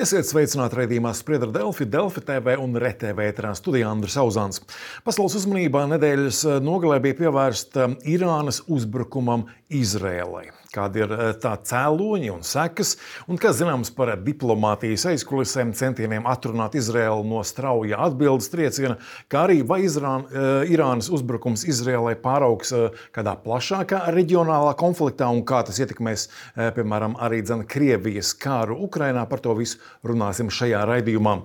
Esiet sveicināti raidījumā Spriedra Delfi, Delfi TV un RTV ēterā studijā Andris Auzāns. Pasaules uzmanībā nedēļas nogalē bija pievērsta Irānas uzbrukumam Izrēlai. Kādi ir tā cēloņi un sekas, un kas zināms par diplomātijas aizkulisēm, centieniem atrunāt Izrēlu no strauja atbildes trieciena, kā arī vai Irānas uzbrukums Izrēlai pāraugs kādā plašākā reģionālā konfliktā un kā tas ietekmēs, piemēram, arī Krievijas kāru Ukrainā. Par to visu runāsim šajā raidījumā.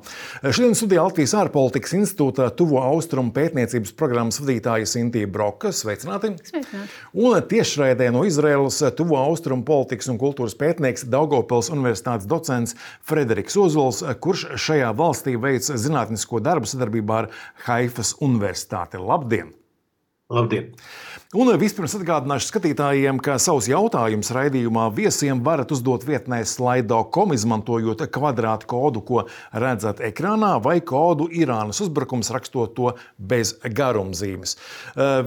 Šodien studijā Latvijas ārpolitikas institūta Tuvo Austrumu pētniecības programmas vadītāja Sintija Broka. Sveicināti! Sveicināti! Un tiešraidē no Izraēlas Tuvo Austrumu politikas un kultūras pētnieks, Daugavpils universitātes docents Frederiks Ozols, kurš šajā valstī veic zinātnisko darbu sadarbībā ar Haifas universitāti. Labdien! Labdien! Un vispirms atgādināšu skatītājiem, ka savus jautājumus raidījumā viesiem varat uzdot vietnē slido.com, izmantojot kvadrātu kodu, ko redzat ekrānā, vai kodu Irānas uzbrukums, rakstot to bez garumzīmes.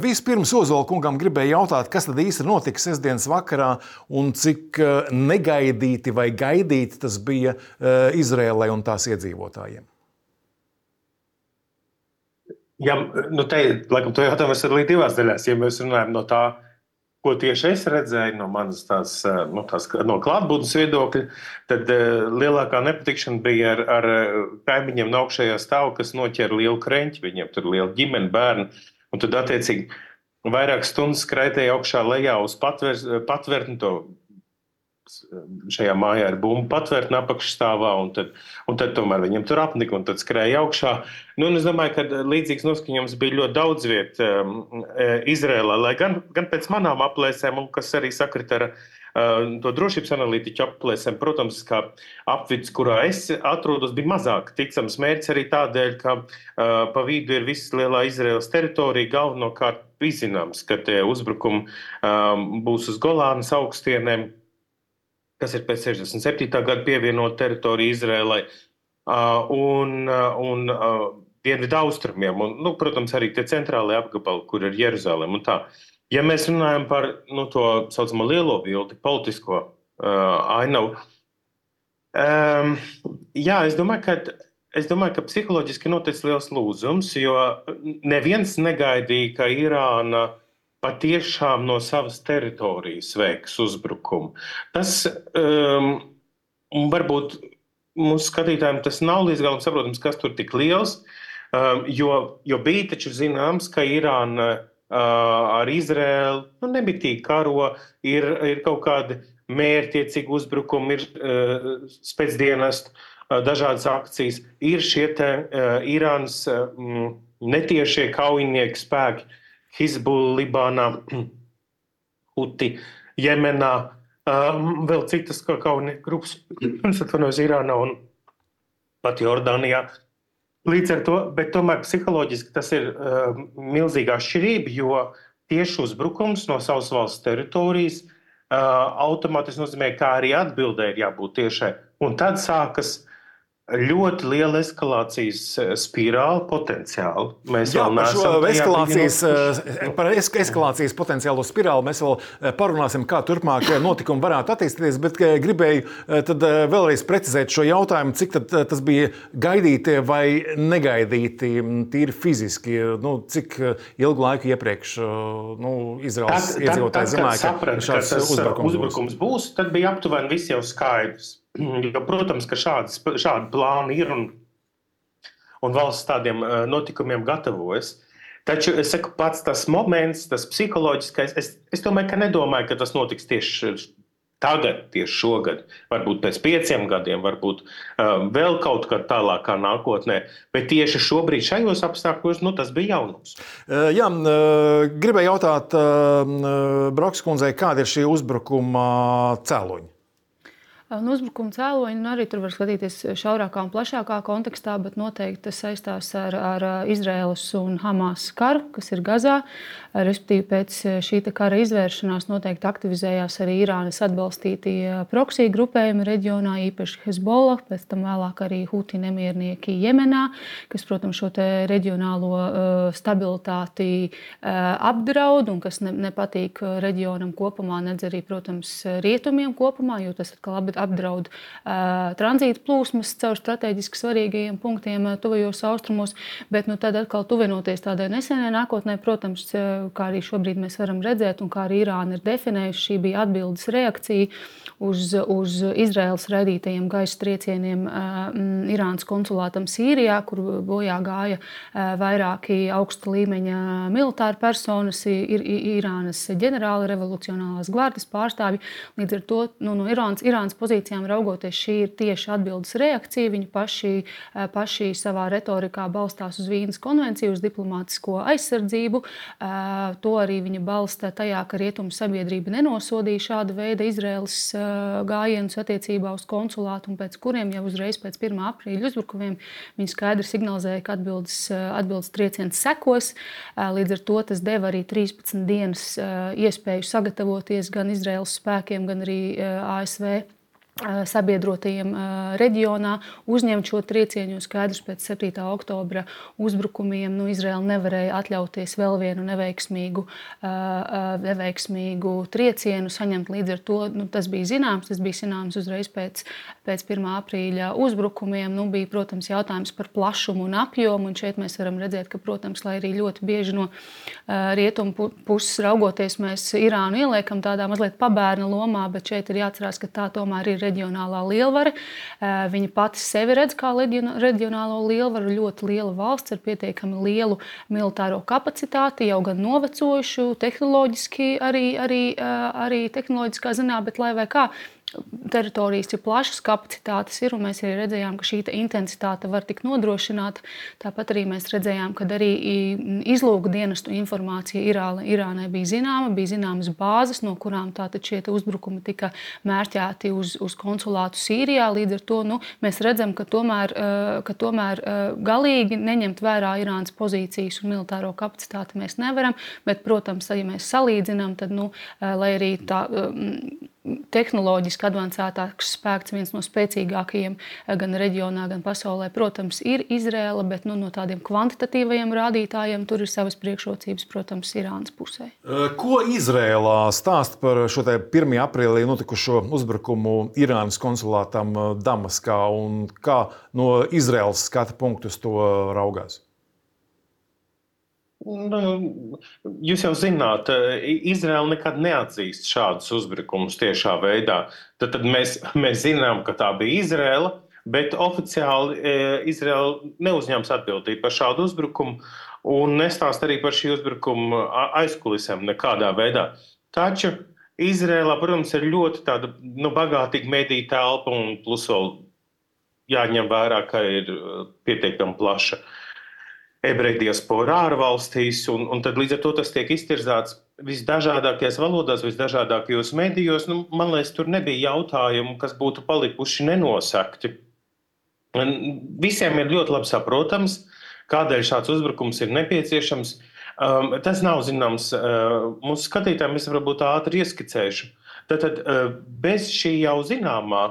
Vispirms Ozola kungam gribēju jautāt, kas tad īsti notika sestdienas vakarā un cik negaidīti vai gaidīti tas bija Izrēlai un tās iedzīvotājiem? Ja, laikam, to jautājumu es arī divās daļās. Ja mēs runājam no tā, ko tieši es redzēju no manas no klātbūtnes viedokļa, tad lielākā nepatikšana bija ar kaimiņiem no augšējā stāva, kas noķēra lielu kreņķi. Viņiem tur liela ģimene, bērni. Un tad, attiecīgi, vairākas stundas skraitēja augšā lejā uz patvērtni to. Šajā mājā ir bumbu patvērtne apakšstāvā, un tad tomēr viņiem tur apnika, un tad skrēja augšā. Un es domāju, ka līdzīgs noskaņojums bija ļoti daudz viet Izrēlā, lai gan pēc manām aplēsēm, un kas arī sakrit ar to drošības analītiķu aplēsēm, protams, kā apvids, kurā es atrodos, bija mazāk ticams mērķis arī tādēļ, ka pa vidu ir viss lielā Izraēlas teritorija, galvenokārt zināms, ka tie uzbrukumi būs uz Golānas augstienēm, kas ir pēc 67. gada pievienot teritoriju Izrēlai un dienvidu austrumiem, un, protams, arī tie centrālie apgabali, kur ir Jeruzalem un tā. Ja mēs runājam par to saucamo lielo bildi, politisko ainavu, jā, es domāju, ka psiholoģiski noticis liels lūzums, jo neviens negaidīja, ka Irāna patiešām no savas teritorijas veiks uzbrukumu. Tas varbūt mūsu skatītājiem tas nav līdz galam saprotams, kas tur tik liels, jo bija taču zināms, ka Irāna ar Izrēlu nebitīgi karo, ir kaut kādi mērķtiecīgi uzbrukumi, ir spēcdienestu dažādas akcijas, ir šie te Irānas netiešie kaujinieki spēki, Hizbullah, Libānā, Huti, Jemenā, vēl citas kaujinieku grupas, Irānā un pat Jordānijā. Līdz ar to, bet tomēr psiholoģiski tas ir milzīga atšķirība, jo tieši uzbrukums no savas valsts teritorijas automātiski nozīmē, kā arī atbildē ir jābūt tiešai. Un tad sākas ļoti liela eskalācijas spirāli potenciāli. Mēs par eskalācijas potenciālo spirāli mēs vēl parunāsim, kā turpmāk notikumi varētu attīstīties, bet gribēju tad vēlreiz precizēt šo jautājumu, cik tad tas bija gaidīti vai negaidīti tīri fiziski, cik ilgu laiku iepriekš Izraels iedzīvotāji zināja, ka šāds uzbrukums būs, tad bija aptuveni viss jau skaidrs. Jo, protams, ka šādi plāni ir un valsts tādiem notikumiem gatavojas. Taču, es saku, pats tas moments, tas psiholoģiskais, es nedomāju, ka tas notiks tieši tagad, tieši šogad. Varbūt pēc 5 gadiem, varbūt vēl kaut kā tālākā nākotnē. Bet tieši šobrīd šajos apstākļos, tas bija jaunums. Jā, gribēju jautāt Brokas kundzei, kāda ir šī uzbrukuma cēloņi? Uzbrukuma cēloņi arī tur var skatīties šaurākā un plašākā kontekstā, bet noteikti tas saistās ar Izraēlas un Hamas karu, kas ir Gazā. Respektīvi, pēc šī kara izvēršanās noteikti aktivizējās arī Irānas atbalstītie proksī grupējumi reģionā, īpaši Hezbollah, pēc tam vēlāk arī Huti nemiernieki Jemenā, kas, protams, šo te reģionālo stabilitāti apdraud un kas nepatīk reģionam kopumā, nedz arī, protams, rietumiem kopumā, jo tas atkal apdraud tranzīta plūsmas caur strateģiski svarīgajiem punktiem tuvajos austrumos, bet tad atkal tuvinoties tādai nesenai nākotnē, protams, kā arī šobrīd mēs varam redzēt un kā arī Irāna ir definējusi, šī bija atbildes reakcija uz Izraēlas raidītajiem gaisa triecieniem Irānas konsulātam Sīrijā, kur bojā gāja vairāki augsta līmeņa militāri personas, Irānas ģenerāli, revolucionālās gvardes pārstāvji. Līdz ar to no Irānas pozīcijām raugoties, šī ir tieši atbildes reakcija. Viņi paši savā retorikā balstās uz Vīnes konvenciju, uz diplomātisko aizsardzību. To arī viņa balsta tajā, ka rietumu sabiedrība nenosodīja šāda veida Izraēlas gājienus attiecībā uz konsulātu, un pēc kuriem jau uzreiz pēc 1. aprīļa uzbrukumiem viņi skaidri signalizēja, ka atbildes trieciens sekos. Līdz ar to tas deva arī 13 dienas iespēju sagatavoties gan Izraēlas spēkiem, gan arī ASV sabiedrotajiem reģionā, uzņemt šo triecienu, jo skaidrs pēc 7. oktobra uzbrukumiem Izraēla nevarēja atļauties vēl vienu neveiksmīgu triecienu saņemt. Līdz ar to tas bija zināms uzreiz pēc 1. aprīļa uzbrukumiem. Bija, protams, jautājums par plašumu un apjomu, un šeit mēs varam redzēt, ka, protams, lai arī ļoti bieži no rietumu puses raugoties, mēs Irānu ieliekam tādā mazliet pabērna lomā, bet šeit ir jāatcerās, ka tā tomēr ir reģionālā lielvara. Viņa pati sevi redz kā reģionālo lielvaru, ļoti liela valsts ar pietiekami lielu militāro kapacitāti, jau gan novecojušu, tehnoloģiski arī tehnoloģiskā ziņā, bet lai vai kā, teritorijas ir plašas, kapacitātes ir, un mēs arī redzējām, ka šī intensitāte var tikt nodrošināta. Tāpat arī mēs redzējām, ka arī izlūkdienestu informācija Irānai bija zināmas bāzes, no kurām tātad šie uzbrukumi tika mērķēti uz konsulātu Sīrijā. Līdz ar to mēs redzam, ka tomēr galīgi neņemt vērā Irānas pozīcijas un militāro kapacitāti mēs nevaram, bet, protams, ja mēs salīdzinām, tad, lai arī tā tehnoloģiski advancētāks spēks, viens no spēcīgākajiem gan reģionā, gan pasaulē, protams, ir Izraēla, bet no tādiem kvantitatīvajiem rādītājiem tur ir savas priekšrocības, protams, Irānas pusē. Ko Izraēlā stāsta par šo 1. aprīlī notikušo uzbrukumu Irānas konsulātam Damaskā un kā no Izraēlas skata punktus to raugās? Jūs jau zināt, Izraēla nekad neatzīst šādus uzbrukumus tiešā veidā. Tad mēs zinām, ka tā bija Izraēla, bet oficiāli Izraēla neuzņems atbildību par šādu uzbrukumu un nestāst arī par šī uzbrukuma aizkulisēm nekādā veidā. Taču Izraēlā, protams, ir ļoti tāda bagātīga mediju telpa un plus vēl jāņem vērā, ka ir pietiekami plaša ebreju diaspora ārvalstīs, un tad līdz ar to tas tiek iztirzāts visdažādākajās valodās, visdažādākajos medijos. Man liekas, tur nebija jautājumu, kas būtu palikuši nenosakti. Visiem ir ļoti labi saprotams, kādēļ šāds uzbrukums ir nepieciešams. Tas nav zināms mūsu skatītājiem, es varbūt ātri ieskicēšu. Tātad bez šī jau zināmā,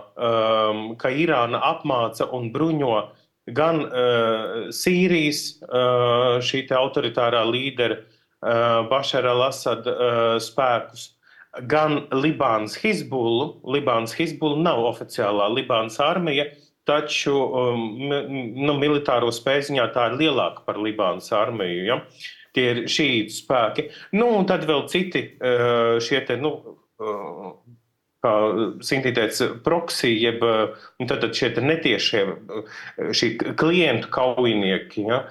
ka Irāna apmāca un bruņo gan Sīrijas šī autoritārā līdera Bašara al-Asada spēkus, gan Libānas Hizbullu. Libānas Hizbulla nav oficiālā Libānas armija, taču militāro spēju ziņā tā ir lielāka par Libānas armiju. Ja? Tie ir šītu spēki. Un tad vēl citi šie te, kā Sintīte teica, proxy, jeb tātad šie netiešie šī klientu kaujinieki, ja,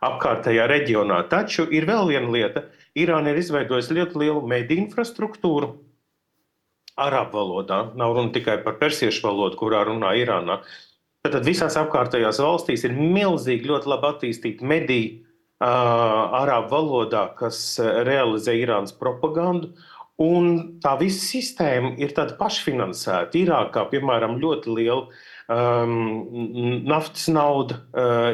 apkārtējā reģionā. Taču ir vēl viena lieta. Irāna ir izveidojusi ļoti lielu mediju infrastruktūru arābu valodā. Nav runa tikai par persiešu valodu, kurā runā Irānā. Tātad visās apkārtējās valstīs ir milzīgi ļoti labi attīstīti mediji arābu valodā, kas realizē Irānas propagandu. Un tā visa sistēma ir tāda pašfinansēta. Irākā, piemēram, ļoti liela naftas nauda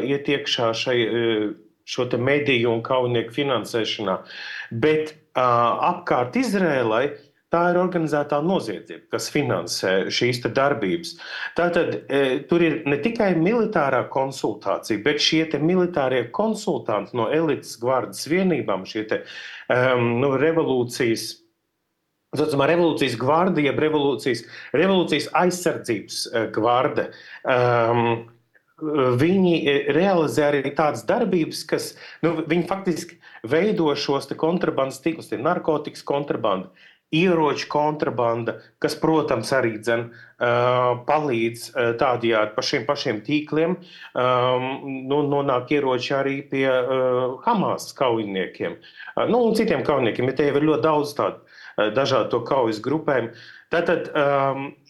iet iekšā šo te mediju un kaujinieku finansēšanā. Bet apkārt Izrēlai tā ir organizētā noziedzība, kas finansē šīs te darbības. Tātad tur ir ne tikai militārā konsultācija, bet šie te militārie konsultanti no elites gvardas vienībām, šie te revolūcijas saucamā revolūcijas gvarda, jeb revolūcijas aizsardzības gvarda. Viņi realizē arī tādas darbības, kas viņi faktiski veido šos kontrabandas tīklus, narkotikas kontrabanda, ieroču kontrabanda, kas, protams, arī palīdz tādējādi pa šiem pašiem tīkliem nonāk ieroči arī pie Hamas kaujiniekiem. Un citiem kaujiniekiem, ja te jau ir ļoti daudz tādu dažādu to kaujas grupēm. Tātad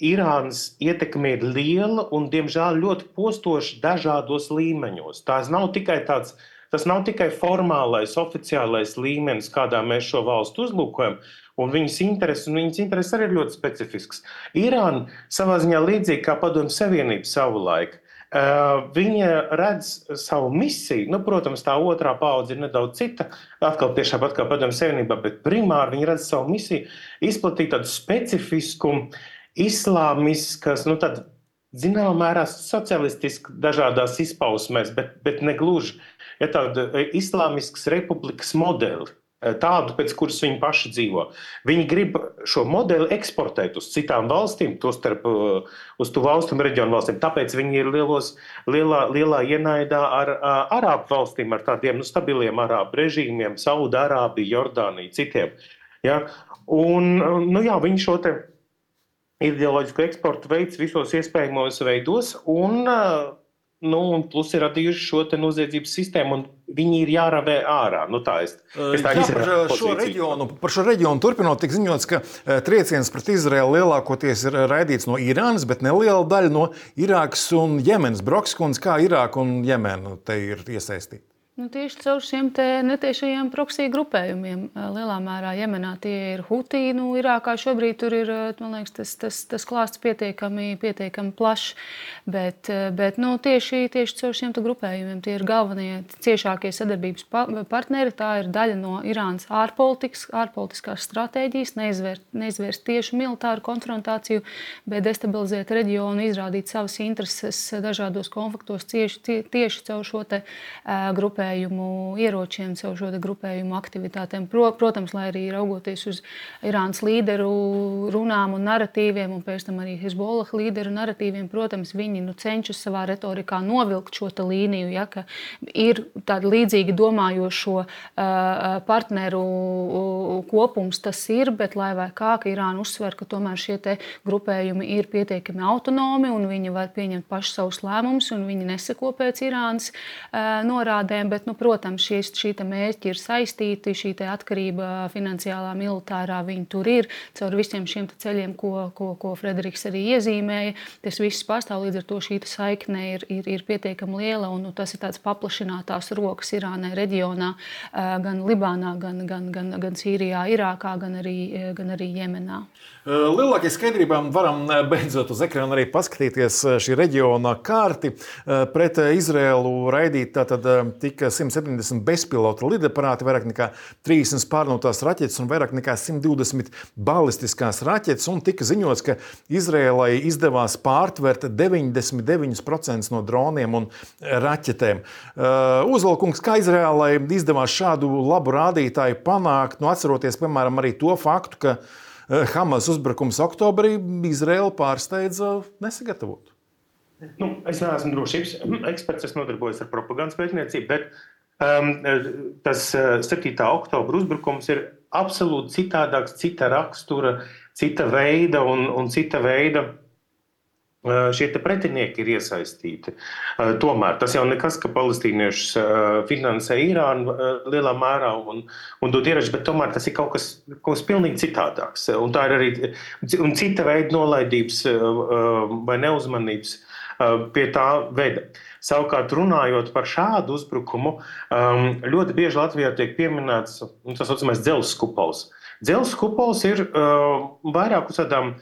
Irānas ietekme ir liela un, diemžēl, ļoti postoša dažādos līmeņos. Tas nav tikai formālais, oficiālais līmenis, kādā mēs šo valstu uzlūkojam, un viņas intereses arī ir ļoti specifisks. Irāna savā ziņā līdzīgi kā Padomju Savienība savulaik. Viņa redz savu misiju, protams, tā otrā paudze ir nedaudz cita, atkal tiešām pat kā Padomju Savienībā, bet primāri viņa redz savu misiju izplatīt tādu specifisku, islāmiskas, tad zināmā mērā socialistiski dažādās izpausmēs, bet ne gluži, tādu islāmiskas republikas modeli. Tādu, pēc kuras viņi paši dzīvo. Viņi grib šo modeli eksportēt uz citām valstīm, tostarp uz tuvu austrumu reģionu valstīm. Tāpēc viņi ir lielā ienaidā ar arābu valstīm, ar tādiem stabiliem arābu režīmiem, Saudārābiju, Jordāniju, citiem. Ja? Un, viņi šo te ideoloģisku eksportu veids visos iespējamos veidos, un plus ir radījuši šo te noziedzības sistēmu, un viņi ir jāravē ārā. Par šo reģionu turpinot, tik ziņots, ka trieciens pret Izraelu lielākoties ir raidīts no Irānas, bet neliela daļa no Irākas un Jemenas. Brokskundze, kā Irāka un Jemena te ir iesaistīti? Tieši caur šiem netiešajiem proksiju grupējumiem. Lielā mērā Jemenā tie ir Hutī. Irākā šobrīd tur ir, man liekas, tas klāsts pietiekami plašs. Bet tieši caur šiem grupējumiem tie ir galvenie ciešākie sadarbības partneri. Tā ir daļa no Irānas ārpolitiskās stratēģijas, neizvērst tieši militāru konfrontāciju, bet destabilizēt reģionu, izrādīt savas intereses dažādos konfliktos tieši caur šo te grupējumu ieročiem, caur šo grupējumu aktivitātēm. Protams, lai arī raugoties uz Irānas līderu runām un naratīviem, un pēc tam arī Hezbollah līderu naratīviem, protams, viņi cenšas savā retorikā novilkt šo līniju, ja, ka ir tāda līdzīgi domājošo partneru kopums, tas ir, bet lai vai kā, ka Irāna uzsver, ka tomēr šie te grupējumi ir pietiekami autonomi un viņi var pieņemt paši savus lēmumus un viņi neseko pēc Irānas norādēm. Bet, protams, šī mērķi ir saistīti, šī atkarība finansiālā, militārā, viņi tur ir, caur visiem šiem ceļiem, ko Frederiks arī iezīmēja. Tas viss pastāv, līdz ar to šī saikne ir pietiekami liela, un tas ir tāds paplašinātās rokas Irānai reģionā, gan Libānā, gan Sīrijā, Irākā, gan arī Jemenā. Lielākie skaidrībā varam beidzot uz ekrāna arī paskatīties šī reģiona karti. Pret Izraēlu raidīt tātad tika 170 bezpilota lidaparāti, vairāk nekā 30 pārnotās raķetes un vairāk nekā 120 balistiskās raķetes. Un tika ziņots, ka Izraēlai izdevās pārtvert 99% no droniem un raķetēm. Uzvalkungs, kā Izraēlai izdevās šādu labu rādītāju panākt, atceroties, piemēram, arī to faktu, ka Hamas uzbrukums oktobrī Izraēlu pārsteidza nesagatavot? Es neesmu drošības eksperts, es nodarbojos ar propagandas pētniecību, bet tas 7. oktobra uzbrukums ir absolūti citādāks, cita rakstura, cita veida un cita veida šie pretinieki ir iesaistīti. Tomēr tas jau nekas, ka palestīniešus finansē Irāna lielā mērā un dod ieroči, bet tomēr tas ir kaut kas pilnīgi citādāks. Un tā ir arī cita veida nolaidības vai neuzmanības pie tā veda. Savukārt, runājot par šādu uzbrukumu, ļoti bieži Latvijā tiek pieminēts tas saucamais dzelzs kupols. Dzelzs kupols ir vairāk uz tādām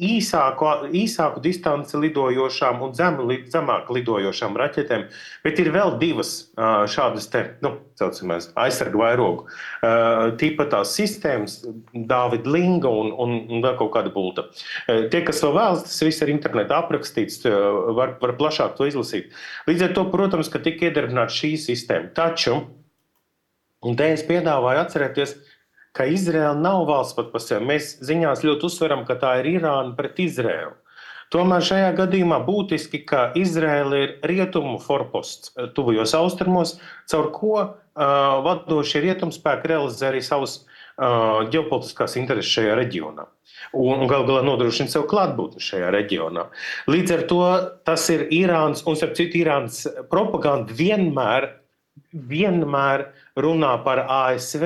īsāku distanci lidojošām un zemāk lidojošām raķetēm, bet ir vēl divas šādas saucamās aizsargu vairogu tipa tās sistēmas, Dāvida Linga un vēl kaut kāda bulta. Tie, kas vēl vēlas, tas viss ir internetā aprakstīts, var plašāk to izlasīt. Līdz ar to, protams, ka tika iedarbināta šī sistēma. Taču, un te es piedāvāju atcerēties, ka Izraela nav valsts pat par sevi. Mēs ziņās ļoti uzsveram, ka tā ir Irāna pret Izraelu. Tomēr šajā gadījumā būtiski, ka Izraela ir rietumu forposts tuvajos austrumos, caur ko vadošie rietumspēki realizē arī savus ģeopolitiskās intereses šajā reģionā. Un gal galā nodrošina sev klātbūtni šajā reģionā. Līdz ar to tas ir Irānas, un starp citu Irānas propaganda vienmēr runā par ASV,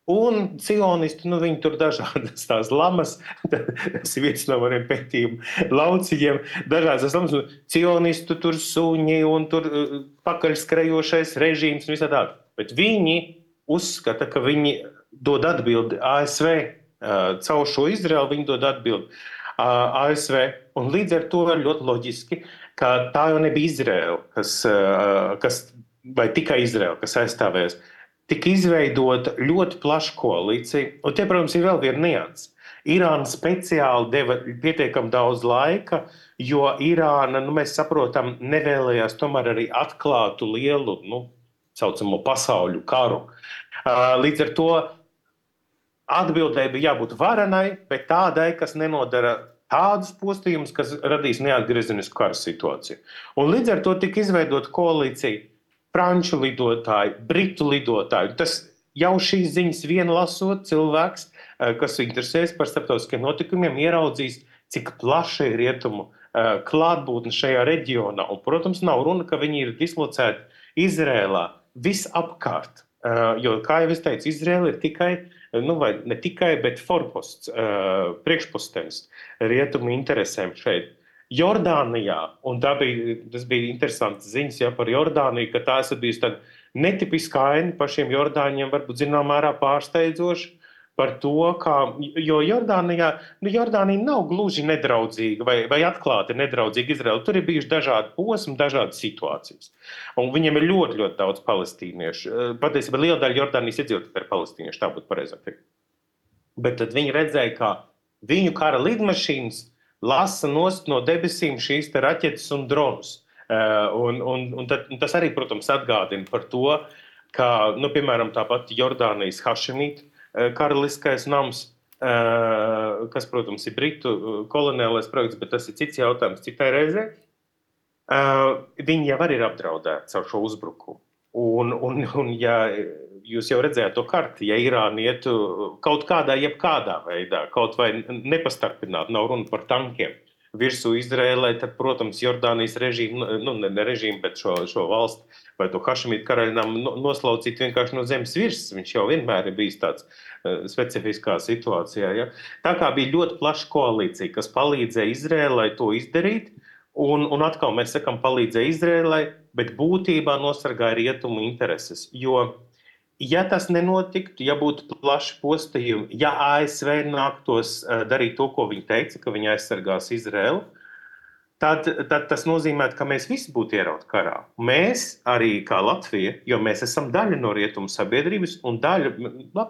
un cionisti, viņi tur dažādas tās lamas, tas ir viens no maniem pētījumu lauciņiem, dažādas lamas, cionistu tur suņi un tur pakaļskrejošais režīms un visā tā. Bet viņi uzskata, ka viņi dod atbildi ASV, caur šo Izraelu viņi dod atbildi ASV. Un līdz ar to ir ļoti loģiski, ka tā jau nebija Izraela, vai tikai Izraela, kas aizstāvējas. Tika izveidota ļoti plaša koalīcija, un te, protams, ir vēl viena nianse. Irāna speciāli deva pietiekami daudz laika, jo Irāna, mēs saprotam, nevēlējās tomēr arī atklātu lielu, saucamo pasauļu karu. Līdz ar to atbildēji bija jābūt varenai, bet tādai, kas nenodara tādus postījumus, kas radīs neatgriezenisku kara situāciju. Un līdz ar to tika izveidota koalīcija franču lidotāji, britu lidotāji. Tas jau šīs ziņas vien lasot cilvēks, kas interesēs par starptautiskiem notikumiem, ieraudzīs, cik plaša ir rietumu klātbūtne šajā reģionā. Un, protams, nav runa, ka viņi ir dislocēti Izrēlā visapkārt. Jo, kā jau es teicu, Izrēla ir tikai, vai ne tikai, bet forposts, priekšpostenis rietumu interesēm šeit. Jordānijā, un tas bija interesants ziņas par Jordāniju, ka tā esat bijusi tāda netipiska aina pašiem Jordāņiem, varbūt zināmā mērā pārsteidzoši par to, jo Jordānija nav gluži nedraudzīga vai atklāti nedraudzīga Izraela. Tur ir bijuši dažādi posmi, dažādas situācijas. Un viņiem ir ļoti, ļoti daudz palestīniešu. Patiesībā liela daļa Jordānijas iedzīvotāji ir palestīnieši, tā būtu pareizāk teikt. Bet tad viņi redzēja, ka viņu kara lidmašīnas lasa nost no debesīm šīs te raķetes un dronus. Un tas arī, protams, atgādina par to, ka, piemēram, tāpat Jordānijas Hašemīta karaliskais nams, kas, protams, ir britu koloniālais projekts, bet tas ir cits jautājums citai reizē, viņi jau arī ir apdraudēti caur šo uzbrukumu. Un ja jūs jau redzējāt to karti, ja Irāna ietu kaut kādā, jebkādā veidā, kaut vai nepastarpināt, nav runa par tankiem, virsū Izrēlai, tad, protams, Jordānijas režīmu, ne režīmu, bet šo valsti vai to Hašemītu karaļnamu noslaucīt vienkārši no zemes virsmas. Viņš jau vienmēr ir bijis tāds specifiskā situācijā. Ja? Tā kā bija ļoti plaša koalīcija, kas palīdzēja Izrēlai to izdarīt, un atkal mēs sakam palīdzēja Izrēlai, bet būtībā nosargāja rietumu intereses. Jo, ja tas nenotiktu, ja būtu plaši postījumi, ja ASV nāktos darīt to, ko viņi teica, ka viņi aizsargās Izrēlu, tad tas nozīmē, ka mēs visi būtu ierauti karā. Mēs arī kā Latvija, jo mēs esam daļa no rietumu sabiedrības, un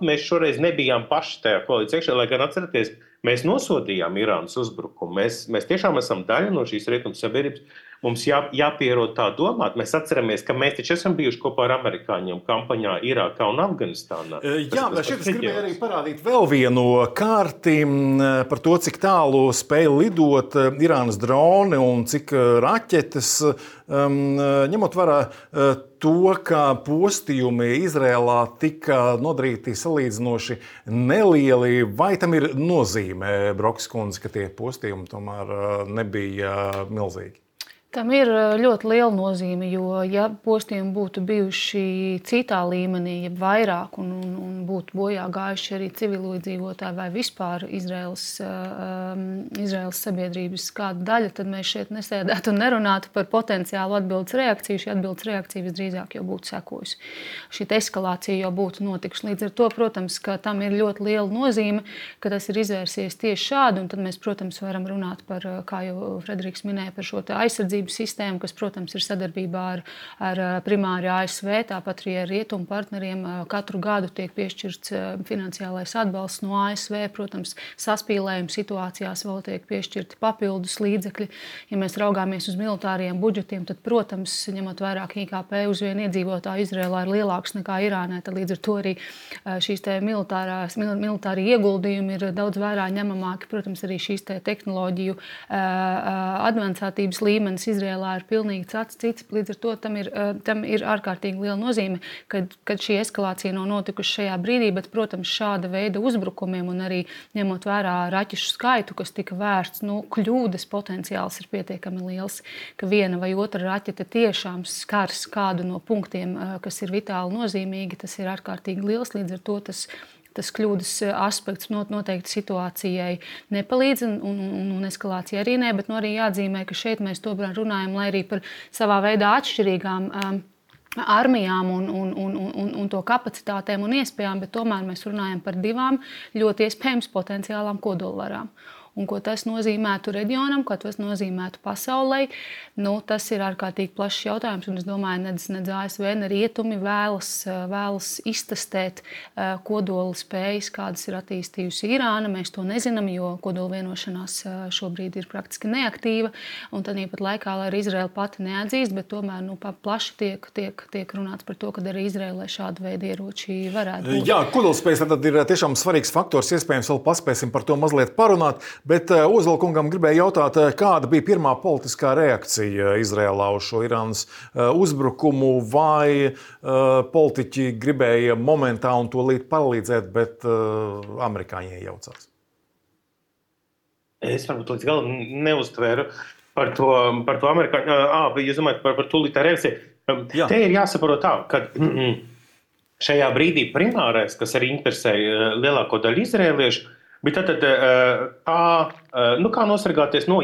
mēs šoreiz nebijām paši tajā koalīcijā iekšā, lai gan atceraties, mēs nosodījām Irānas uzbrukumu. Mēs tiešām esam daļa no šīs rietumu sabiedrības. Mums jāpierod tā domāt. Mēs atceramies, ka mēs taču esam bijuši kopā ar amerikāņiem kampaņā Irākā un Afganistānā. Šeit es gribēju arī parādīt vēl vienu kārti par to, cik tālu spēja lidot Irānas droni un cik raķetes, ņemot vērā to, ka postījumi Izrēlā tika nodarīti salīdzinoši nelieli. Vai tam ir nozīme, Brokas kundze, ka tie postījumi tomēr nebija milzīgi? Tam ir ļoti liela nozīme, jo ja postījumi būtu bijuši citā līmenī, ja vairāk un būtu bojā gājuši arī civiliedzīvotāji vai vispār Izraēlas sabiedrības kāda daļa, tad mēs šeit nesēdētu un nerunātu par potenciālu atbildes reakciju. Šī atbildes reakcija visdrīzāk jau būtu sekojusi. Šī eskalācija jau būtu notikusi. Līdz ar to, protams, ka tam ir ļoti liela nozīme, ka tas ir izvērsies tieši šādi, un tad mēs, protams, varam runāt par, kā jau Frederiks minēja, par šo aizsardzību aizsardzības sistēmu, kas, protams, ir sadarbībā ar primāri ASV, tāpat arī ar rietumu partneriem. Katru gadu tiek piešķirts finansiālais atbalsts no ASV, protams, saspīlējuma situācijās vēl tiek piešķirti papildus līdzekļi. Ja mēs raugāmies uz militāriem budžetiem, tad, protams, ņemot vērā, ka IKP uz vienu iedzīvotāju Izrēlā ir lielāks nekā Irānai, tad līdz ar to arī šīs militāri ieguldījumi ir daudz vērā ņemamāki. Protams, arī šīs tehnoloģiju advancētības līmenis Izrēlā ir pilnīgi cits. Līdz ar to tam ir ārkārtīgi liela nozīme, kad šī eskalācija nav notikusi šajā brīdī, bet, protams, šāda veida uzbrukumiem un arī ņemot vērā raķešu skaitu, kas tika vērsts, kļūdas potenciāls ir pietiekami liels, ka viena vai otra raķete tiešām skars kādu no punktiem, kas ir vitāli nozīmīgi, tas ir ārkārtīgi liels, līdz ar to tas kļūdas aspekts noteikti situācijai nepalīdz un eskalācija arī ne, bet arī jāatzīmē, ka šeit mēs tomēr runājam, lai arī par savā veidā atšķirīgām armijām un to kapacitātēm un iespējām, bet tomēr mēs runājam par divām ļoti iespējams potenciālām kodolvarām. Un ko tas nozīmētu reģionam, ko tas nozīmētu pasaulē, tas ir ārkārtīgi plašs jautājums. Un es domāju, nedz ASV, ne rietumi vēlas iztestēt kodola spējas, kādas ir attīstījusi Irāna. Mēs to nezinām, jo kodola vienošanās šobrīd ir praktiski neaktīva. Un tad pat laikā, lai arī Izraela pati neatzīst, bet tomēr plaši tiek runāts par to, ka arī Izraēlai šāda veida ieroči varētu būt. Jā, kodolspējas tad ir tiešām svarīgs faktors. Iespējams, vēl paspēsim par to mazliet parunāt. Bet Ozolkungam gribēju jautāt, kāda bija pirmā politiskā reakcija Izrēlā uz šo Irānas uzbrukumu, vai politiķi gribēja momentā un tūlīt palīdzēt, bet amerikāņi iejaucās? Es varbūt līdz galam neuztvēru par to amerikāņu. Jūs domājat par tūlītā reakciju? Jā. Te ir jāsaprot tā, ka šajā brīdī primārais, kas arī interesēja lielāko daļu izrēliešu, bet tad kā nosargāties no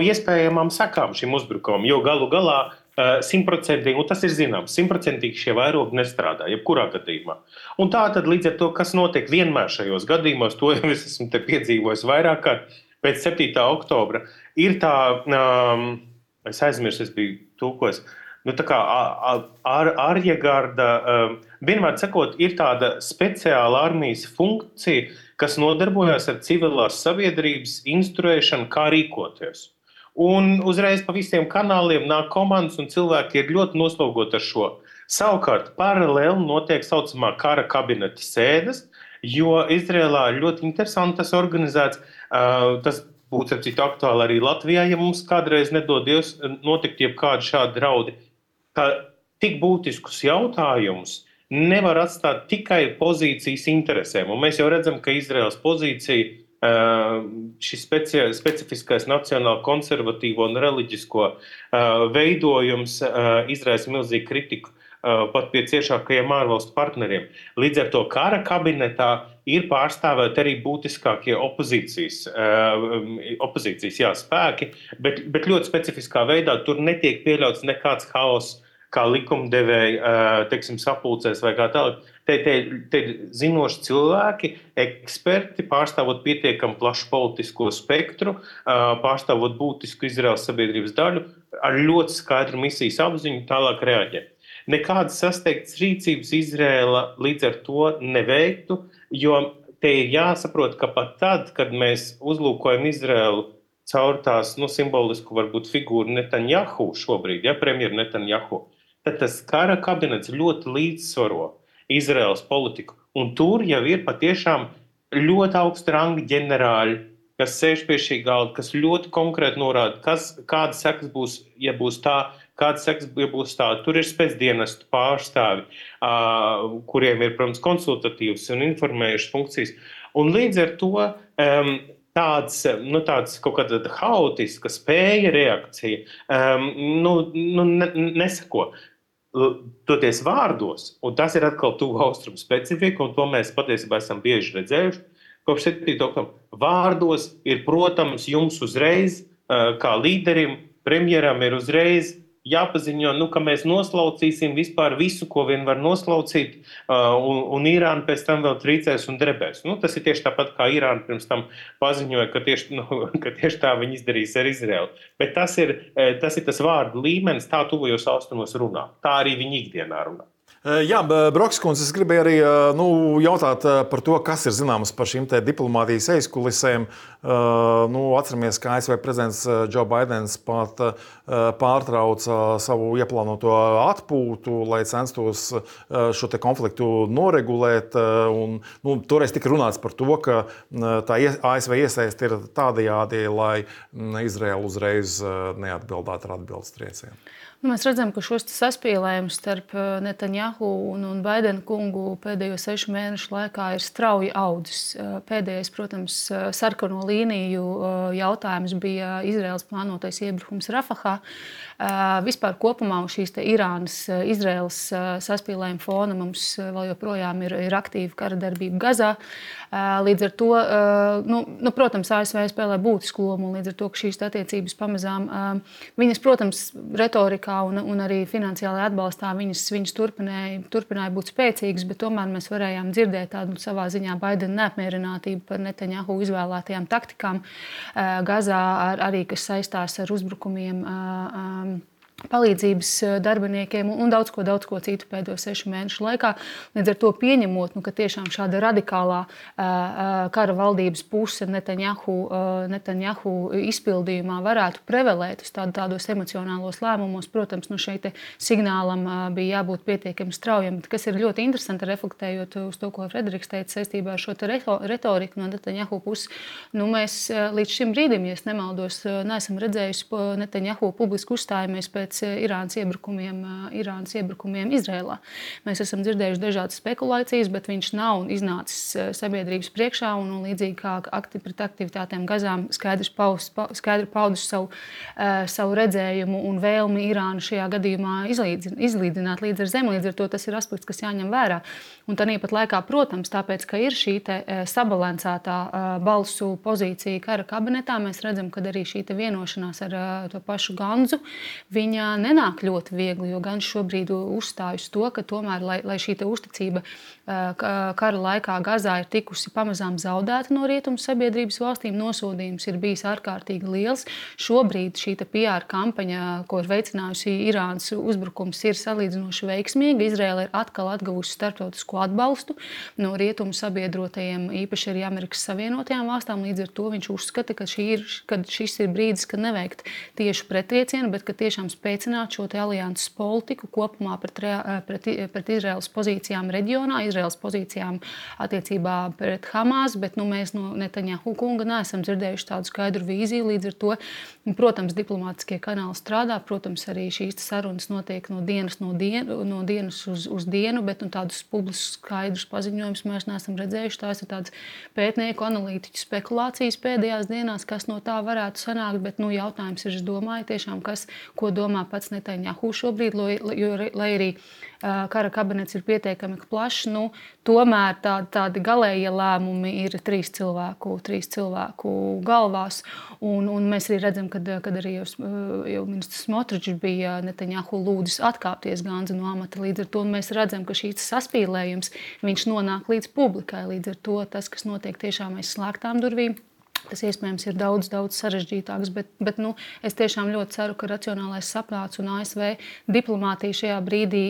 iespējamām sekām šim uzbrukumam, jo galu galā 100%, un tas ir zināms, 100% šie vairogi nestrādā, jebkurā gadījumā. Un tā tad līdz ar to, kas notiek vienmēr šajos gadījumos, to jau es esmu te piedzīvojis vairāk kārt pēc 7. oktobra, ir tā, es aizmirsu, es biju tūkojis, tā kā arjegarda, vienmēr sakot, ir tāda speciāla armijas funkcija, kas nodarbojas ar civilās sabiedrības instruēšanu, kā rīkoties. Un uzreiz pa visiem kanāliem nāk komandas un cilvēki ir ļoti noslogoti ar šo. Savukārt paralēli notiek saucamā kara kabineta sēdes, jo Izrēlā ir ļoti interesanti tas organizēts. Tas būtu ar citu aktuāli arī Latvijā, ja mums kādreiz nedodies notikt jebkādi šādi draudi. Ka tik būtiskus jautājumus nevar atstāt tikai pozīcijas interesēm. Un mēs jau redzam, ka Izraēlas pozīcija, šis specifiskais nacionāli konservatīvo un reliģisko veidojums izraisa milzīgu kritiku pat pie ciešākajiem ārvalstu partneriem. Līdz ar to kara kabinetā ir pārstāvēti arī būtiskākie opozīcijas spēki, bet ļoti specifiskā veidā tur netiek pieļauts nekāds haoss, kā likumdevēji, sapulcēs vai kā tālāk. Te zinoši cilvēki, eksperti, pārstāvot pietiekami plašu politisko spektru, pārstāvot būtisku Izraēlas sabiedrības daļu, ar ļoti skaidru misijas apziņu tālāk reaģē. Nekādas sasteigtas rīcības Izraēla līdz ar to neveiktu, jo te ir jāsaprot, ka pat tad, kad mēs uzlūkojam Izraēlu caur tās simbolisku varbūt figūru Netanjahu šobrīd, premjeru Netanjahu, tad tas kara kabinets ļoti līdzsvaro Izraēlas politiku. Un tur jau ir patiešām ļoti augsta ranga ģenerāļi, kas sēž pie šī galda, kas ļoti konkrēti norāda, kādas sekas būs, ja būs tā, kādas sekas, ja būs tā. Tur ir spēcdienestu pārstāvi, kuriem ir, protams, konsultatīvas un informējušas funkcijas. Un līdz ar to tāds kaut kāda haotiska spēja reakcija nesako. Toties vārdos, un tas ir atkal tuvu austrumu specifika, un to mēs patiesībā esam bieži redzējuši, kopš 7. oktobra. Vārdos ir, protams, jums uzreiz, kā līderim, premjeram ir uzreiz jāpaziņo, ka mēs noslaucīsim vispār visu, ko vien var noslaucīt, un Irāna pēc tam vēl trīcēs un drebēs. Tas ir tieši tāpat, kā Irāna pirms tam paziņoja, ka tieši tā viņi izdarīs ar Izraelu. Bet tas ir tas vārdu līmenis, tā tuvajos austrumos runā. Tā arī viņi ikdienā runā. Jā, Brokskundze, es gribēju arī jautāt par to, kas ir zināms par šīm diplomātijas aizkulisēm. Atceramies, ka ASV prezidents Joe Baidens pat pārtrauca savu ieplānoto atpūtu, lai censtos šo konfliktu noregulēt. Toreiz tika runāts par to, ka tā ASV iesaiste ir tādajādi, lai Izraela uzreiz neatbildētu ar atbildes triecienu. Mēs redzam, ka šos saspīlējumus starp Netanjahu un Baidena kungu pēdējo 6 mēnešu laikā ir strauji audzis. Pēdējais, protams, sarkano līniju jautājums bija Izraēlas plānotais iebrukums Rafahā. Vispār kopumā šīs Irānas-Izraēlas saspīlējuma fona mums vēl joprojām ir aktīva kara darbība Gazā. Līdz ar to, protams, ASV spēlē būtisku lomu, un līdz ar to, ka šīs attiecības pamazām, viņas, protams, retorikā un arī finansiālajā atbalstā viņas turpināja būt spēcīgas, bet tomēr mēs varējām dzirdēt tādu savā ziņā Baidena neapmierinātību par Netanjahu izvēlētajām taktikām Gazā, arī kas saistās ar uzbrukumiem palīdzības darbiniekiem un daudz ko citu pēdējo 6 mēnešu laikā. Līdz ar to pieņemot, ka tiešām šāda radikālā kara valdības puse Netanjahu izpildījumā varētu prevalēt uz tādos emocionālos lēmumos, protams, šeit signālam bija jābūt pietiekami straujam. Kas ir ļoti interesanti, reflektējot uz to, ko Frederiks teica saistībā ar šo retoriku no Netanjahu puses. Mēs līdz šim brīdim, ja es nemaldos, neesam redzējuši Netanjahu publiski uzstājamies pēc Irānas iebrakumiem Izrēlā. Mēs esam dzirdējuši dažādas spekulācijas, bet viņš nav iznācis sabiedrības priekšā un līdzīgi kā pret aktivitātēm Gazām skaidri paudis savu redzējumu un vēlmi Irānu šajā gadījumā izlīdzināt līdz ar zemi. Līdz ar to tas ir aspekts, kas jāņem vērā. Un tāpat laikā, protams, tāpēc, ka ir šī sabalansētā balsu pozīcija kara kabinetā, mēs redzam, ka arī šī vienošanās ar to pašu Ganzu, viņa nenāk ļoti viegli, jo gan šobrīd uzstāj uz to, ka tomēr, lai šī uzticība kara laikā Gazā ir tikusi pamazām zaudēta no rietumu sabiedrības valstīm, nosodījums ir bijis ārkārtīgi liels. Šobrīd šī PR kampaņa, ko ir veicinājusi Irānas uzbrukums, ir salīdzinoši veiksmīga. Izraēla ir atkal atguvusi starptautisko atbalstu no rietumu sabiedrotajiem, īpaši arī Amerikas Savienotajām valstām. Līdz ar to viņš uzskata, ka šis ir brīdis, kad neveikt tieši pretriecienu, bet ka tiešām spēcināt šo alianses politiku kopumā pret Izraēlas pozīcijām reģionā, Izraēlas pozīcijām attiecībā pret Hamas, bet mēs no Netanjahu kunga neesam dzirdējuši tādu skaidru vīziju. Līdz ar to, protams, diplomātiskie kanāli strādā, protams, arī šīs sarunas notiek no dienas uz dienu, bet tādus publiskus skaidrus paziņojumus mēs neesam redzējuši. Tās ir tādas pētnieku, analītiķu spekulācijas pēdējās dienās, kas no tā varētu sanākt, bet jautājums ir, es domāju, tiešām, ko domā pats Netanjahu šobrīd, jo, lai arī kara kabinets ir pietiekami plašs, tomēr tādi galējie lēmumi ir 3 cilvēku galvās. Un mēs arī redzam, kad arī jau ministrs Smotričs bija Netanjahu lūdzis atkāpties Ganza no amata. Līdz ar to mēs redzam, ka šīs saspīlējums viņš nonāk līdz publikai. Līdz ar to tas, kas notiek tiešām aiz slēgtām durvīm, tas iespējams ir daudz sarežģītāks, bet es tiešām ļoti ceru, ka racionālais saprāts un ASV diplomātija šajā brīdī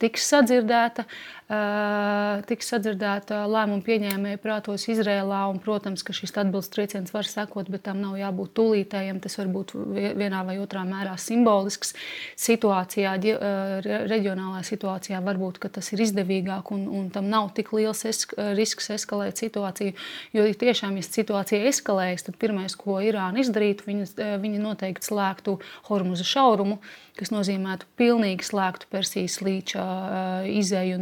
tiks sadzirdēta lēmumu pieņēmēju prātos Izrēlā, un, protams, ka šis atbildes trieciens var sekot, bet tam nav jābūt tūlītējam, tas var būt vienā vai otrā mērā simbolisks situācijā, reģionālā situācijā varbūt, ka tas ir izdevīgāk un tam nav tik liels risks eskalēt situāciju, jo tiešām, ja situācija eskalējas, tad pirmais, ko Irāna izdarītu, viņi noteikti slēgtu Hormuza šaurumu, kas nozīmētu pilnīgi slēgtu Persijas līča izēju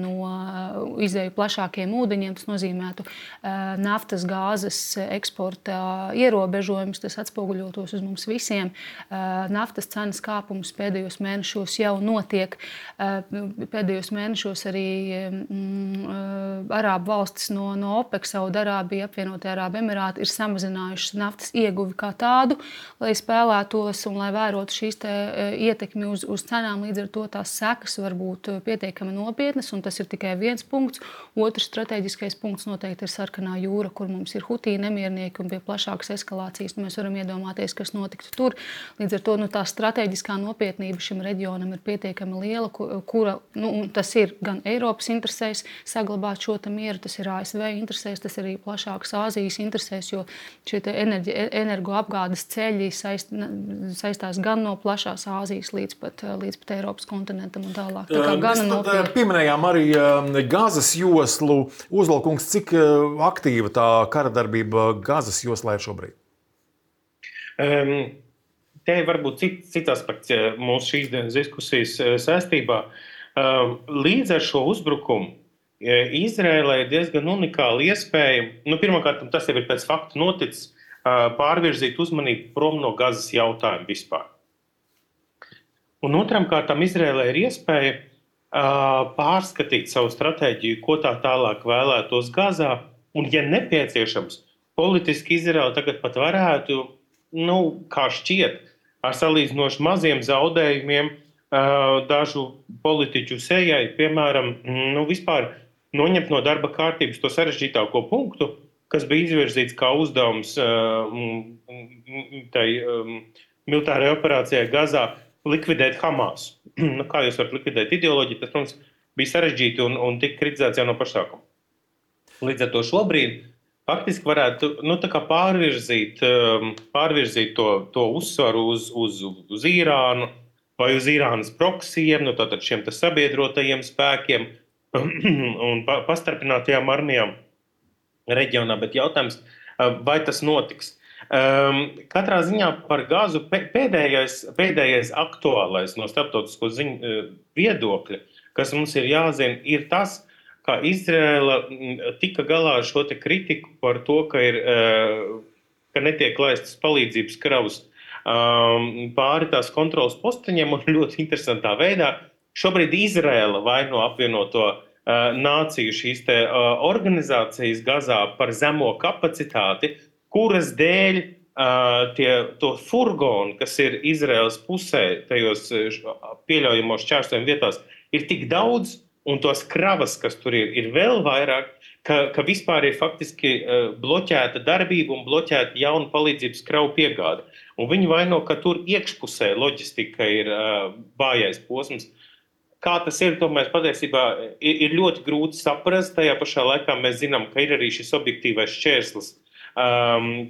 plašākiem ūdeņiem. Tas nozīmētu naftas, gāzes eksporta ierobežojumus. Tas atspoguļotos uz mums visiem. Naftas cenas kāpums pēdējos mēnešos jau notiek. Pēdējos mēnešos arī Arābu valstis no OPEC, Saudarābija, Apvienotie Arābu Emirāti ir samazinājuši samazinājušas naftas ieguvi kā tādu, lai spēlētos un lai vērotu šīs ietekmi uz cenām. Līdz ar to tās sekas var būt pietiekami nopietnas, un tas ir tikai viens punkts. Otrs strateģiskais punkts noteikti ir Sarkanā jūra, kur mums ir Hutī nemiernieki un pie plašākas eskalācijas. Mēs varam iedomāties, kas notiktu tur. Līdz ar to tā strateģiskā nopietnība šim reģionam ir pietiekami liela, kura tas ir gan Eiropas interesēs saglabāt šo mieru, tas ir ASV interesēs, tas ir arī plašākas Āzijas interesēs, jo šie energoapgādes ceļi saistās gan no plašās Āzijas līdz pat Eiropas kontinentam un tālāk. Tā kā gana nopietni. Pieminējām arī Gazas joslu. Uzvalkungs, cik aktīva tā kara darbība Gazas joslā ir šobrīd? Te varbūt cits aspekts mūsu šīs dienas diskusijas saistībā. Līdz ar šo uzbrukumu Izraēlai ir diezgan unikāla iespēja, pirmkārt, tas jau ir pēc faktu noticis, pārvirzīt uzmanību prom no Gazas jautājumu vispār. Un otram kārtām Izraēlai ir iespēja pārskatīt savu stratēģiju, ko tā tālāk vēlētos Gazā, un, ja nepieciešams, politiski Izraēla tagad pat varētu, kā šķiet, ar salīdzinoši maziem zaudējumiem dažu politiķu sejai, piemēram, vispār noņemt no darba kārtības to sarežģītāko punktu, kas bija izvirzīts kā uzdevums tai militārajai operācijai Gazā likvidēt Hamas. Kā jūs varat likvidēt ideoloģiju, tas mums bija sarežģīti un tika kritizēts jau no pašsākuma. Līdz ar to šobrīd faktiski varētu pārvirzīt to uzsvaru uz Irānu vai uz Irānas proksijiem, tātad šiem sabiedrotajiem spēkiem un pastarpinātajām armijām reģionā, bet jautājums, vai tas notiks. Katrā ziņā par Gazu pēdējais aktuālais no starptautisko ziņu viedokļa, kas mums ir jāzina, ir tas, ka Izraēla tika galā ar šo te kritiku par to, ka netiek laistas palīdzības kravas pāri tās kontrolas posteņiem, un ļoti interesantā veidā šobrīd Izraēla vaino apvienoto nāciju šīs te organizācijas Gazā par zemo kapacitāti, kuras dēļ to furgonu, kas ir Izraēlas pusē, tajos pieļaujamos šķērsojuma vietās, ir tik daudz, un tos kravas, kas tur ir vēl vairāk, ka vispār ir faktiski bloķēta darbība un bloķēta jauna palīdzības kravu piegāde. Un viņi vaino, ka tur iekšpusē loģistika ir vājais posms. Kā tas ir, to mēs patiesībā ir ļoti grūti saprast. Tajā pašā laikā mēs zinām, ka ir arī šis objektīvais šķērslis.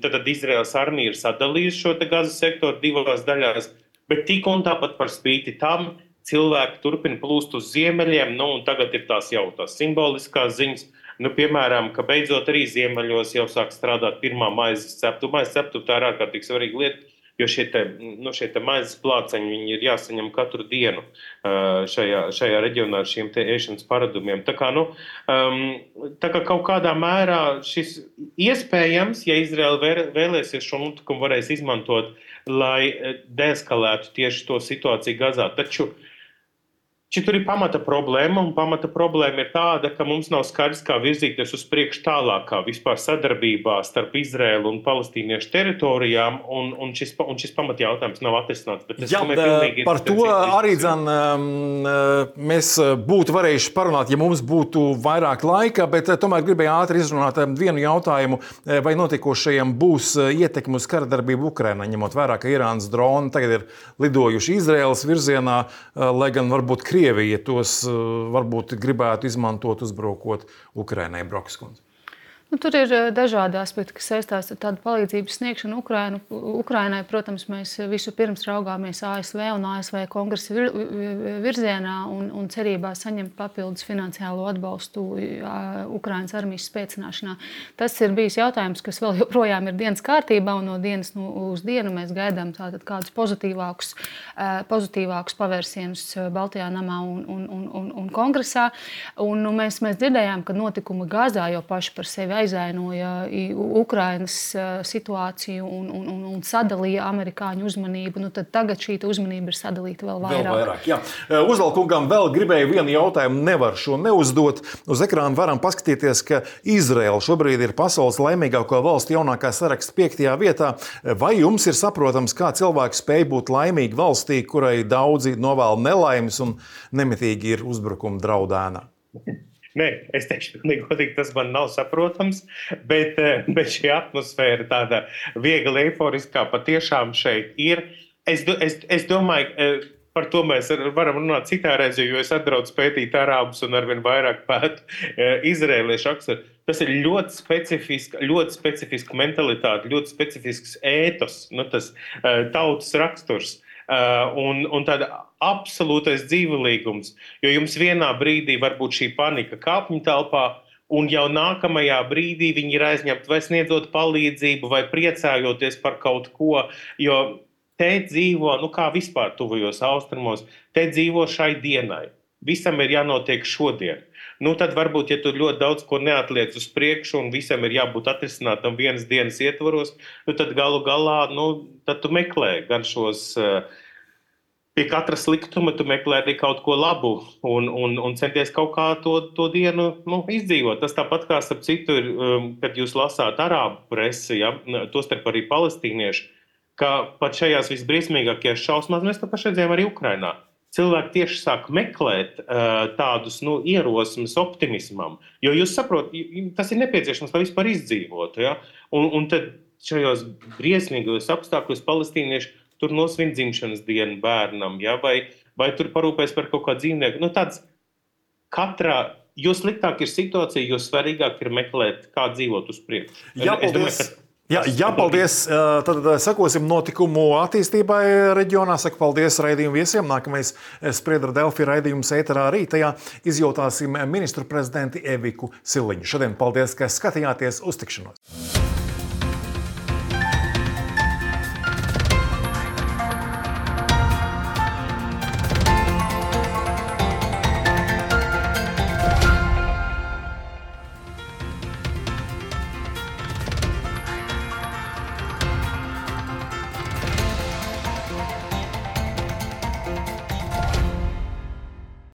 Tad Izraēlas armija ir sadalījusi šo te Gazas sektoru divās daļās, bet tik un tāpat par spīti tam cilvēki turpina plūst uz ziemeļiem, un tagad ir tās simboliskās ziņas, piemēram, ka beidzot arī ziemeļos jau sāk strādāt pirmā maizes ceptuve. Maizes ceptuve tā ir ārkārtīgi svarīga lieta, jo šie te maizes plāceņi, viņi ir jāsaņem katru dienu šajā reģionā ar šiem te ēšanas paradumiem. Tā kā kaut kādā mērā šis iespējams, ja Izraēla vēlēsies šo notikumu varēs izmantot, lai deeskalētu tieši to situāciju Gazā. Taču tur ir pamata problēma, un pamata problēma ir tāda, ka mums nav skaidrs, kā virzīties uz priekšu tālākā vispār sadarbībā starp Izraēlu un palestīniešu teritorijām, un šis pamata jautājums nav atrisināts. Par to arī mēs būtu varējuši parunāt, ja mums būtu vairāk laika, bet tomēr gribēju ātri izrunāt vienu jautājumu, vai notiekošajam būs ietekme uz kara darbību Ukrainā, ņemot vērā, ka Irānas droni tagad ir lidojuši Izraēlas virzienā, lai gan varbūt Krievija tos varbūt gribētu izmantot, uzbrukot Ukrainai. Brokas kundze. Tur ir dažādi aspekti, kas saistās ar tādu palīdzības sniegšanu Ukrainai. Protams, mēs visu pirms raugāmies ASV un ASV kongresa virzienā un cerībā saņemt papildus finansiālo atbalstu Ukrainas armijas spēcināšanā. Tas ir bijis jautājums, kas vēl joprojām ir dienas kārtībā, un no dienas uz dienu mēs gaidām tātad kādus pozitīvākus pavērsienus Baltijā namā un kongresā. Un mēs dzirdējām, ka notikumi Gazā jau paši par sevi aizainoja Ukrainas situāciju un sadalīja amerikāņu uzmanību, tad tagad šī uzmanība ir sadalīta vēl vairāk. Uzvalkungam vēl gribēju vienu jautājumu, nevar šo neuzdot. Uz ekrāna varam paskatīties, ka Izraela šobrīd ir pasaules laimīgāko valstu jaunākā saraksta 5. vietā. Vai jums ir saprotams, kā cilvēki spēj būt laimīgi valstī, kurai daudzi novēl nelaimes un nemitīgi ir uzbrukuma draudēna? Nē, es teikšu, godīgi, tas man nav saprotams, bet šī atmosfēra tāda viegli eiforiskā patiešām šeit ir. Es domāju, par to mēs varam runāt citā reizē, jo es atbraucu pētīt arābus un arvien vairāk pētu izrēliešu raksturu. Tas ir ļoti specifiska mentalitāte, ļoti specifisks ētos, tas tautas raksturs. Un tāda absolūtais dzīvelīgums, jo jums vienā brīdī var būt šī panika kāpņu telpā, un jau nākamajā brīdī viņi ir aizņemti vai sniedzot palīdzību, vai priecājoties par kaut ko, jo te dzīvo, kā vispār tuvajos austrumos, te dzīvo šai dienai. Visam ir jānotiek šodien. Tad varbūt, ja tu ļoti daudz ko neatliec uz priekšu un visam ir jābūt atrisinātam vienas dienas ietvaros, tad galu galā, tad tu meklē gan šos, pie katra sliktuma tu meklē arī kaut ko labu un centies kaut kā to dienu izdzīvot. Tas tāpat kā starp citu ir, kad jūs lasāt arābu presi, tostarp arī palestīniešu, ka pat šajās visbriesmīgākajās šausmās mēs to paši redzējām arī Ukrainā. Cilvēki tieši sāk meklēt tādus ierosmes optimismam, jo jūs saprotat, tas ir nepieciešams, lai vispār izdzīvotu. Ja? Un tad šajos briesmīgos apstākļos palestīnieši tur nosvin dzimšanas dienu bērnam, ja? vai tur parūpēs par kaut kā dzīvnieku. Jo sliktāk ir situācija, jo svarīgāk ir meklēt, kā dzīvot uz priekšu. Paldies. Tad sekosim notikumu attīstībai reģionā. Saku paldies raidījumu viesiem. Nākamais Spriedra Delfi raidījums ēterā rītajā izjautāsim ministru prezidenti Eviku Siliņu. Šodien paldies, ka skatījāties. Uz tikšanos!